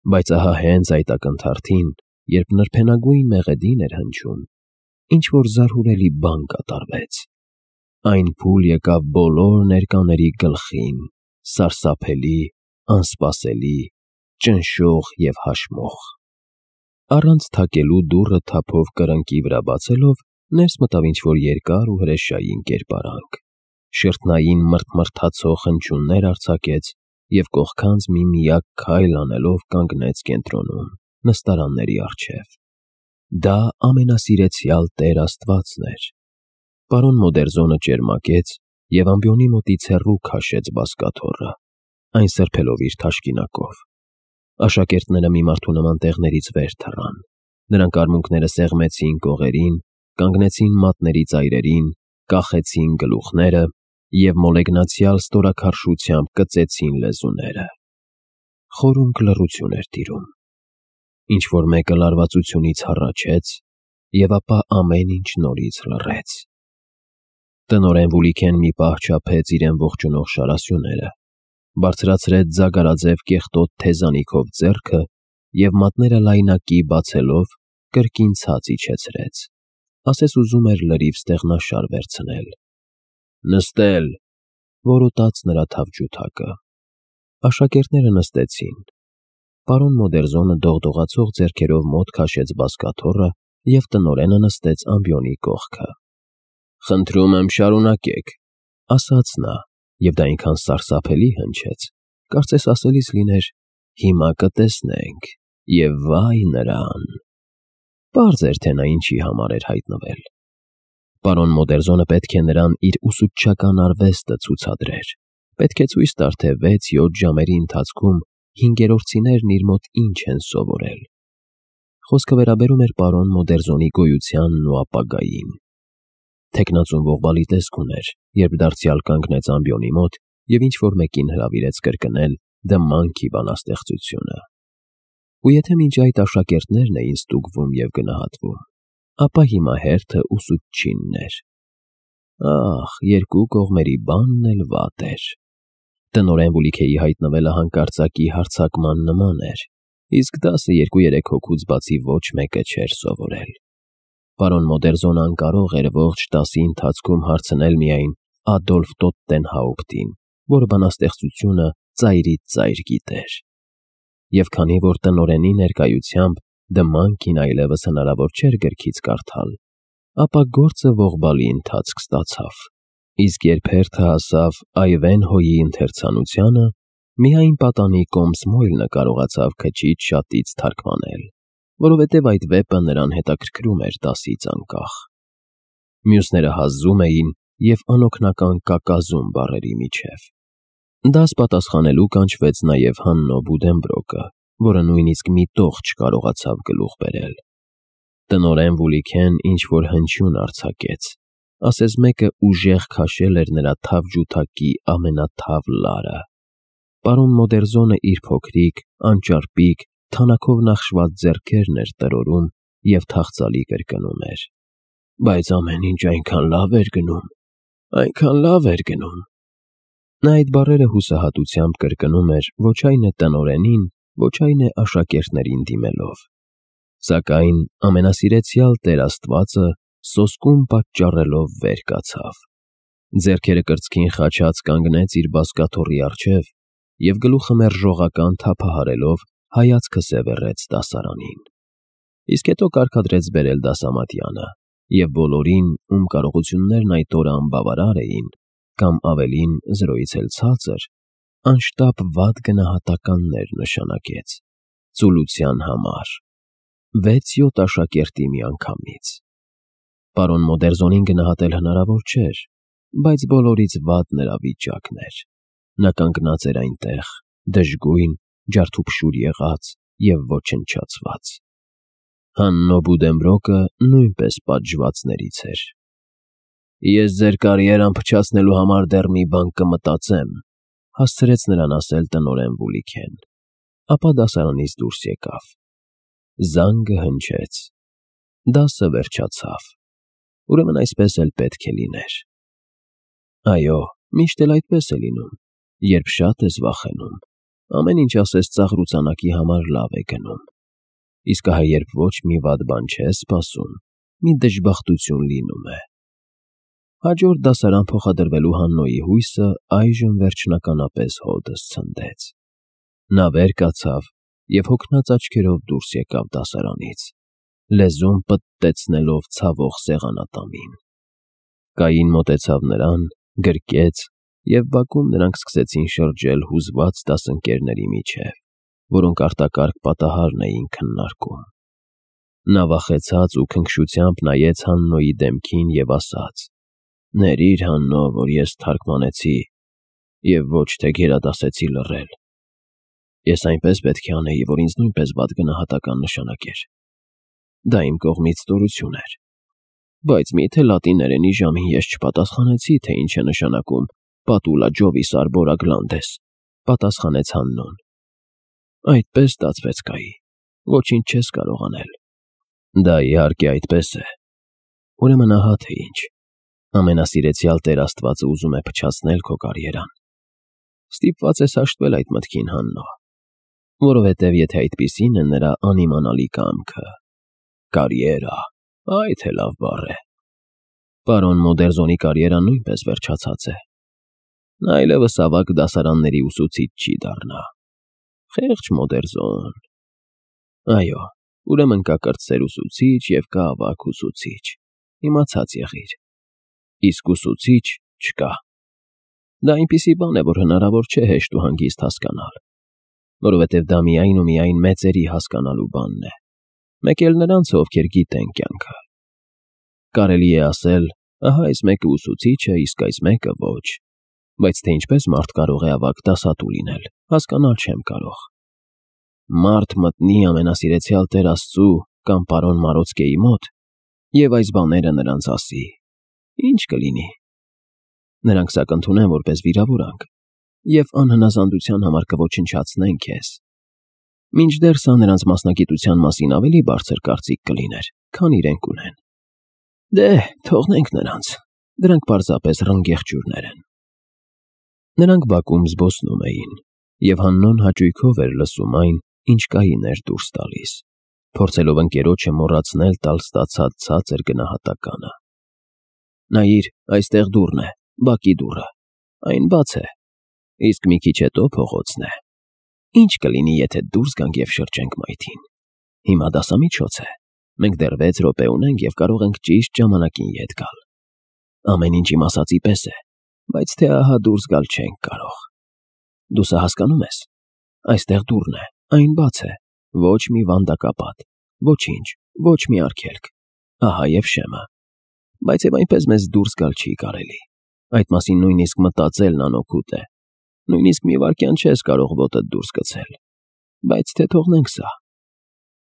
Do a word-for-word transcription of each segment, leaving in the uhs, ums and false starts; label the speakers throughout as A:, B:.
A: Բայց ահա հենց այդ ակնթարթին, երբ նրբենագույն մեղեդին էր հնչում, ինչ-որ զարհուրելի բան կատարվեց. այն փուլ եկավ բոլոր ներկաների գլխին, սարսափելի, անսպասելի, ճնշող և հաշմող։ Առանց թակելու դուռը թափով կրկնակի վրա բացելով, ներս մտավ ինչ-որ երկար ու հրեշային կերպարանք, շրթնային մռթմռթացող հնչյուններ արձակեց և կողքանց մի միակ քայլ անելով կանգնեց կենտրոնում, նստարանների առջև։ Դա ամենասիրեցյալ Տեր Աստվածն էր։ Պարոն Մոդերզոնը ճերմակեց և ամբիոնի մոտից հեռու քաշեց բազկաթոռը, այն սրբելով իր թաշկինակով։ Աշակերտները մի մարդու նման տեղներից վեր թռան, նրանք արմունկները սեղմեցին կողերին, կանգնեցին մատների ծայրերին, կախեցին գլուխները և մոլեգնացյալ ստորաքարշությամբ կծեցին լեզուները։ Խորունկ լռություն էր տիրում։ Ինչ-որ մեկը լարվածությունից հառաչեց, և ապա ամեն ինչ նորից լռեց։ Տնօրեն Վուլիքեն մի պահ չափեց իրեն ողջունող շարասյուները, բարձրացրեց ձագարաձև կեղտոտ թեզանիքով ձեռքը և մատները լայնակի բացելով, կրկին ցած իջեցրեց, ասես ուզում էր լրիվ ստեղնաշար վերցնել։ «Նստել», որոտաց նրա թավջութակը։ Աշակերտները նստեցին։ Պարոն Մոդերզոնը դողդողացող ձեռքերով մոտ քաշեց բազկաթոռը և տնօրենը նստեց ամբիոնի կողքը։ «Խնդրում եմ, շարունակեք», ասաց նա, և դա այնքան սարսափելի հնչեց, կարծես ասելիս լիներ. «Հիմա կտեսնենք, և վայ նրան»։ Պարզ էր, թե նա ինչի համար էր հայտնվել։ Պարոն Մոդերզոնը պետք է նրան իր ուսուցչական արվեստը ցուցադրեր, պետք է ցույց տար, թե վեց֊յոթ ժամերի ընթացքում հինգերորդցիներն իր մոտ ինչ են սովորել։ Խոսքը վերաբերում էր պարոն Մոդերզոնի գոյությանն ու ապագային։ Թեկնածուն ողբալի տեսք ուներ, երբ դարձյալ կանգնեց ամբիոնի մոտ և ինչ-որ մեկին հրավիրեց կրկնել «Դը Մանկի» բանաստեղծությունը։ Ու եթե մինչ այդ աշակերտներն էին ստուգվում և գնահատվում, ապա հիմա հերթը ուսուցչինն էր։ Ախ, երկու կողմերի բանն էլ վատ էր։ Տնօրեն Վուլիքեի հայտնվելը հանկարծակի հարձակման նման էր, իսկ դասը երկու-երեք հոգուց բացի ոչ մեկը չէր սովորել։ Պարոն Մոդերզոնը անկարող էր ողջ դասի ընթացքում հարցնել միայն Ադոլֆ Տոտտենհաուպտին, որը բանաստեղծությունը ծայրից ծայր գիտեր։ Եվ քանի որ տնօրենի ներկայությամբ «Դը Մանկին» այլևս հնարավոր չէր գրքից կարդալ, ապա գործը ողբալի ընթացք ստացավ։ Իսկ երբ հերթը հասավ Այվենհոյի ընթերցանությանը, միայն պատանի Կոմսմոյլը կարողացավ քչից շատից թարգմանել, որովհետև այդ վեպը նրան հետաքրքրում էր դասից անկախ։ Մյուսները հազում էին և անօգնական կակազում բառերի միջև։ Դաս պատասխանելու կանչվեց նաև Հաննո Բուդենբրոկը, որը նույնիսկ մի տող չկարողացավ գլուխ բերել։ Տնօրեն Վուլիքեն ինչ-որ հնչյուն արձակեց, ասես մեկը ուժեղ քաշել էր նրա թավջութակի ամենաթավ լարը։ Պարոն Մոդերզոնը իր փոքրիկ, անճարպիկ, թանաքով նախշված ձեռքերն էր տրորում և թախծալի կրկնում էր. «Բայց ամեն ինչ այնքան լավ էր գնում, այնքան լավ էր գնում»։ Նա այդ բառերը հուսահատությամբ կրկնում էր ոչ այն է տնօրենին, ոչ այն է աշակերտներին դիմելով։ Սակայն ամենասիրեցյալ Տեր Աստվածը սոսկում պատճառելով վեր կացավ, ձեռքերը կրծքին խաչած կանգնեց իր բազկաթոռի առջև և գլուխը մերժողական թափահարելով հայացքը սևեռեց դասարանին։ Իսկ հետո կարգադրեց բերել դասամատյանը և բոլորին, ում կարողություններն այդ օրը անբավարար էին, կամ ավելին, զրոյից էլ ցածր, անշտապ վատ գնահատականներ նշանակեց ծուլության համար, վեց֊յոթ աշակերտի միանգամից։ Պարոն Մոդերզոնին գնահատել հնարավոր չէր, բայց բոլորից վատ նրա վիճակն էր։ Նա կանգնած էր այնտեղ, դժգույն, ջարդուփշուր եղած և ոչնչացված։ Հաննո Բուդենբրոկը նույնպես պատժվածներից էր։ «Ես ձեր կարիերան փչացնելու համար դեռ մի բան կմտածեմ», հասցրեց նրան ասել տնօրեն Վուլիքեն, ապա դասարանից դուրս եկավ։ Զանգը հնչեց։ Դասը վերջացավ։ Ուրեմն այսպես էլ պետք է լիներ։ Այո, միշտ էլ այդպես է լինում, երբ շատ ես վախենում, Ամեն ինչ ասես ծաղրուծանակի համար լավ է գնում։ Իսկ ահա երբ ոչ մի վատ բան չես սպասում, մի դժբախտություն լինում է։ Հաջորդ դասարան փոխադրվելու Հաննոյի հույսը այժմ վերջնականապես հօդս ցնդեց։ Նա վեր կացավ և հոգնած աչքերով դուրս եկավ դասարանից, լեզուն պտտեցնելով ցավող սեղանատամին։ Կային մոտեցավ նրան, գրկեց, և բակում նրանք սկսեցին շրջել հուզված դասընկերների միջև, որոնք արտակարգ պատահարն էին քննարկում։ Նա վախեցած ու քնքշությամբ նայեց Հաննոյի դեմքին և ասաց. «Ներիր, Հաննո, որ ես թարգմանեցի և ոչ թե գերադասեցի լռել։ Ես այնպես պետք է անեի, որ ինձ նույնպես վատ գնահատական նշանակեր։ Դա իմ կողմից ստորություն էր։ Բայց մի՞թե լատիներենի ժամին ես չպատասխանեցի, թե ինչ է նշանակում պատուլա ջովիս արբորա գլանդես», պատասխանեց Հաննոն։ «Այդպես ստացվեց, Կայի, ոչինչ չես կարող անել»։ Դա իհարկե այդպես է։ Ուրեմն ահա թե ինչ։ Ամենասիրեցյալ Տեր Աստվածը ուզում է փչացնել քո կարիերան։ Ստիպված ես հաշտվել այդ մտքին, Հաննո, որովհետև եթե այդպիսին է նրա անիմանալի կամքը։ Կարիերա, այ թե լավ բառ է։ Պարոն Մոդերզոնի կարիերան նույնպես վերջացած է։ Նա այլևս ավագ դասարանների ուսուցիչ չի դառնա։ Խեղճ Մոդերզոն։ Այո, ուրեմն կա կրտսեր ուսուցիչ և կա ավագ ուսուցիչ։ Իմացած եղիր։ Իսկ ուսուցիչ չկա։ Դա այնպիսի բան է, որ հնարավոր չէ հեշտ ու հանգիստ հասկանալ, որովհետև դա միայն ու միայն մեծերի հասկանալու բանն է, մեկ էլ նրանց, ովքեր գիտեն կյանքը։ Կարելի է ասել, ահա այս մեկը ուսուցիչ է, իսկ այս մեկը ոչ, բայց թե ինչպես մարդ կարող է ավագ դասատու լինել, հասկանալ չեմ կարող։ Մարդ մտնի ամենասիրեցյալ Տեր Աստծու կամ պարոն Մարոցկեի մոտ և այս բաները նրանց ասի, ինչ կլինի։ Նրանք սա կընդունեն որպես վիրավորանք և անհնազանդության համար կոչնչացնեն քեզ։ Մինչդեռ սա նրանց մասնագիտության մասին ավելի բարձր կարծիք կլիներ, քան իրենք ունեն։ Դե, թողնենք նրանց, դրանք պարզապես ռնգեղջյուրներ են։ Նրանք բակում զբոսնում էին, և Հաննոն հաճույքով էր լսում այն, ինչ Կային էր դուրս տալիս, փորձելով ընկերոջը մոռացնել տալ ստացած ցածր գնահատականը։ Նայիր, այստեղ դուռն է, բակի դուռը, այն բաց է, իսկ մի քիչ հետո փողոցն է։ Ինչ կլինի, եթե դուրս գանք և շրջենք մայթին։ Հիմա դասամիջոց է, մենք դեռ վեց րոպե ունենք և կարող ենք ճիշտ ժամանակին ետ գալ։ Ամեն ինչ իմ ասածի պես է, բայց թե ահա դուրս գալ չենք կարող։ Դու սա հասկանում ես։ Այստեղ դուռն է, այն բաց է, ոչ մի վանդակապատ, ոչինչ, ոչ մի արգելք, ահա և շեմը։ Բայց և այնպես մեզ դուրս գալ չի կարելի։ Այդ մասին նույնիսկ մտածելն անօգուտ է։ Նույնիսկ մի վայրկյան չես կարող ոտդ դուրս գցել։ Բայց թե թողնենք սա։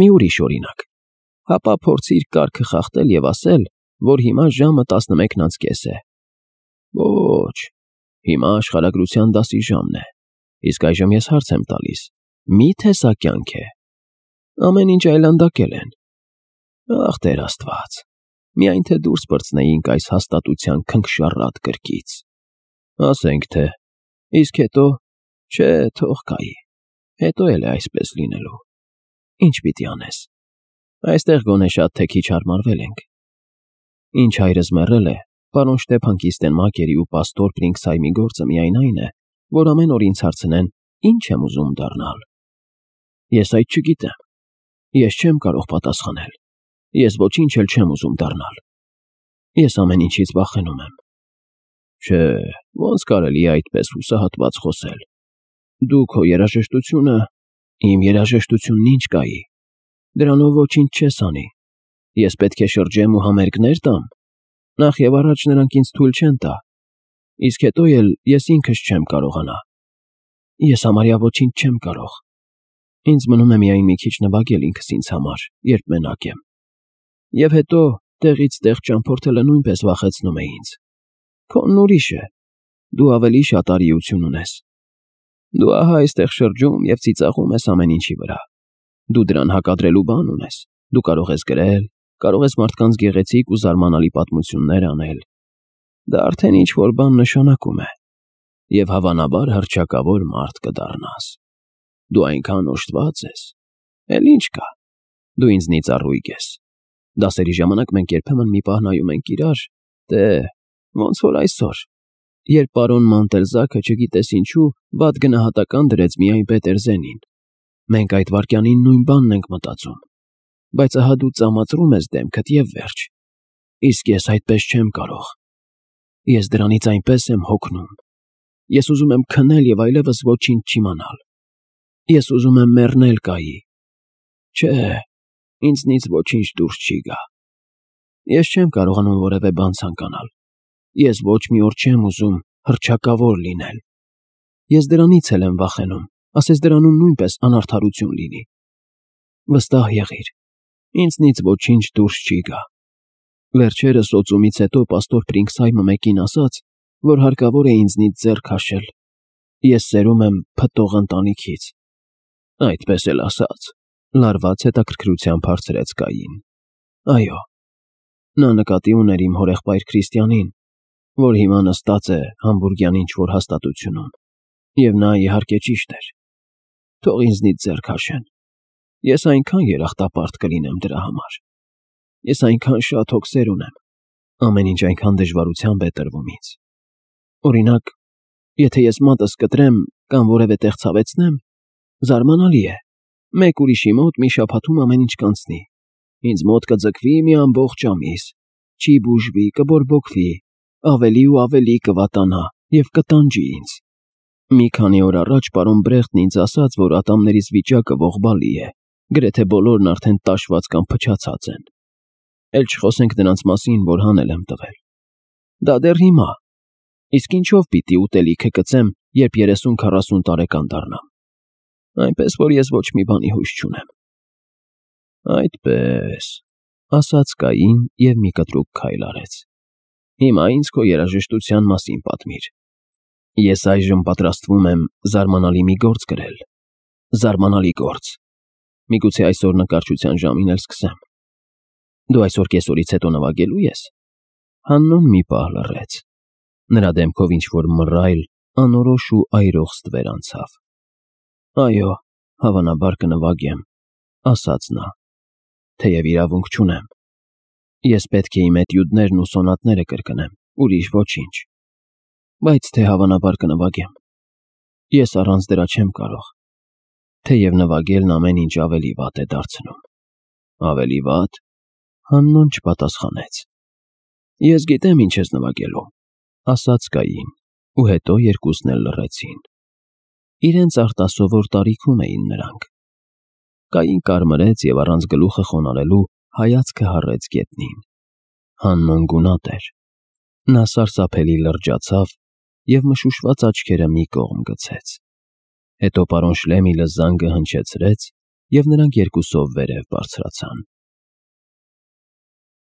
A: Մի ուրիշ օրինակ։ Հապա փորձիր կարգը խախտել և ասել, որ հիմա ժամը տասնմեկն անց կես է։ Ոչ, հիմա աշխարհագրության դասի ժամն է, իսկ այժմ ես հարց եմ տալիս. մի՞թե սա կյանք է։ Ամեն ինչ այլանդակել են։ Ախ, Տեր Աստված, միայն թե դուրս պրծնեինք այս հաստատության քնքշառատ կրկից։ Ասենք թե, իսկ հետո, չէ, թող կայի, հետո էլ է այսպես լինելու։ Ինչ պիտի անես։ Այստեղ գոնե շատ թե քիչ հարմարվել ենք։ Ինչ հայրս մեռել է, պարոն Շտեփան Կիստենմակերի ու պաստոր Պրինքսհայմի գործը միայն այն է, որ ամեն օր ինձ հարցնեն, ինչ եմ ուզում դառնալ։ Ես այդ չգիտեմ։ Ես չեմ կարող պատասխանել։ Ես ոչինչ էլ չեմ ուզում դառնալ։ Ես ամեն ինչից վախենում եմ։ Չէ, ոնց կարելի է այդպես հուսահատված խոսել։ Դու քո երաժշտությունը, իմ երաժշտությունն ինչ Կայի։ Դրանով ոչինչ չես անի։ Ես պետք է շրջեմ ու համերգներ տամ։ Նախ և առաջ նրանք ինձ թույլ չեն տա։ Իսկ հետո էլ ես ինքս չեմ կարողանա։ Ես համարյա ոչինչ չեմ կարող։ Ինձ մնում է միայն մի քիչ նվագել ինքս ինձ համար, երբ մենակ եմ։ Եվ հետո տեղից տեղ ճամփորդելը նույնպես վախեցնում է ինձ։ Քոնն ուրիշ է։ Դու ավելի շատ արիություն ունես։ Դու ահա այստեղ շրջում և ծիծաղում ես ամեն ինչի վրա։ Դու դրան հակադրելու բան ունես։ Դու կարող ես գրել, կարող ես մարդկանց գեղեցիկ ու զարմանալի պատմություններ անել։ Դա արդեն ինչ-որ բան նշանակում է։ Եվ հավանաբար հռչակավոր մարդ կդառնաս։ Դու այնքան օժտված ես։ Էլ ինչ կա, դու ինձնից առույգ ես։ Դասերի ժամանակ մենք երբեմն մի պահ նայում ենք իրար, դե, ոնց որ այսօր, երբ պարոն Մանտելզաքը չգիտես ինչու վատ գնահատական դրեց միայն Պետերզենին։ Մենք այդ վայրկյանին նույն բանն ենք մտածում, բայց ահա դու ծամածրում ես դեմքդ և վերջ։ Իսկ ես այդպես չեմ կարող։ Ես դրանից այնպես եմ հոգնում։ Ես ուզում եմ քնել և այլևս ոչինչ չիմանալ։ Ես ուզում եմ մեռնել Կայի։ Չէ, ինձնից ոչինչ դուրս չի գա։ Ես չեմ կարողանում որևէ բան ցանկանալ։ Ես ոչ մի օր չեմ ուզում հռչակավոր լինել։ Ես դրանից էլ եմ վախենում, ասես դրանում նույնպես անարդարություն լինի։ Վստահ եղիր, ինձնից ոչինչ դուրս չի գա։ Վերջերս օծումից հետո պաստոր Փրինքսհայմը մեկին ասաց, որ հարկավոր է ինձնից ձեռ քաշել։ Ես սերում եմ փտող ընտանիքից։ Այդպես էլ ասաց, լարված հետաքրքրությամբ հարցրեց Կային։ Այո, նա նկատի ուներ իմ հորեղբայր Քրիստիանին, որ հիմա նստած է Համբուրգյան ինչ-որ հաստատությունում, և նա իհարկե ճիշտ էր։ Թող ինձնից ձեռ քաշեն։ Ես այնքան երախտապարտ կլինեմ դրա համար։ Ես այնքան շատ հոգսեր ունեմ, ամեն ինչ այնքան դժվարությամբ է տրվում ինձ։ Օրինակ, եթե ես մատս կտրեմ կամ որևէ տեղ ցավեցնեմ, զարմանալի է, մեկ ուրիշի մոտ մի շաբաթում ամեն ինչ կանցնի։ Ինձ մոտ կձգվի մի ամբողջ ամիս, չի բուժվի, կբորբոքվի, ավելի ու ավելի կվատանա և կտանջի ինձ։ Մի քանի օր առաջ պարոն Բրեխտն ինձ ասաց, որ ատամներիս վիճակը ողբալի է, գրեթե բոլորն արդեն տաշված կամ փչացած են։ Էլ չխոսենք նրանց մասին, որ հանել եմ տվել։ Դա դեռ հիմա։ Իսկ ինչով պիտի ուտելիքը կծեմ, երբ երեսուն֊քառասուն տարեկան դառնամ։ Այնպես որ ես ոչ մի բանի հույս չունեմ։ Այդպես, ասաց Կային և մի կտրուկ քայլ արեց։ Հիմա ինձ քո երաժշտության մասին պատմիր։ Ես այժմ պատրաստվում եմ զարմանալի մի գործ գրել։ Զարմանալի գործ։ Միգուցե այսօր նկարչության ժամին էլ սկսեմ։ Դու այսօր կեսօրից հետո նվագելու ես։ Հաննոն մի պահ լռեց։ Նրա դեմքով ինչ-որ մռայլ, անորոշ ու այրող ստվեր անցավ։ Այո, հավանաբար կնվագեմ, ասաց նա, թեև իրավունք չունեմ։ Ես պետք է իմ էտյուդներն ու սոնատները կրկնեմ, ուրիշ ոչինչ։ Բայց թե հավանաբար կնվագեմ։ Ես առանց դրա չեմ կարող։ Թեև նվագելն ամեն ինչ ավելի վատ է դարձնում։ Ավելի վատ։ Հաննոն չպատասխանեց։ Ես գիտեմ ինչ ես նվագելու, ասաց Կային, ու հետո երկուսն էլ լռեցին։ Իրենց արտասովոր տարիքում էին նրանք։ Կային կարմրեց և առանց գլուխը խոնարհելու հայացքը հառեց գետնին։ Հաննոն գունատ էր։ Նա սարսափելի լրջացավ և մշուշված աչքերը մի կողմ գցեց։ Հետո պարոն Շլեմիլը զանգը հնչեցրեց, և նրանք երկուսով վերև բարձրացան։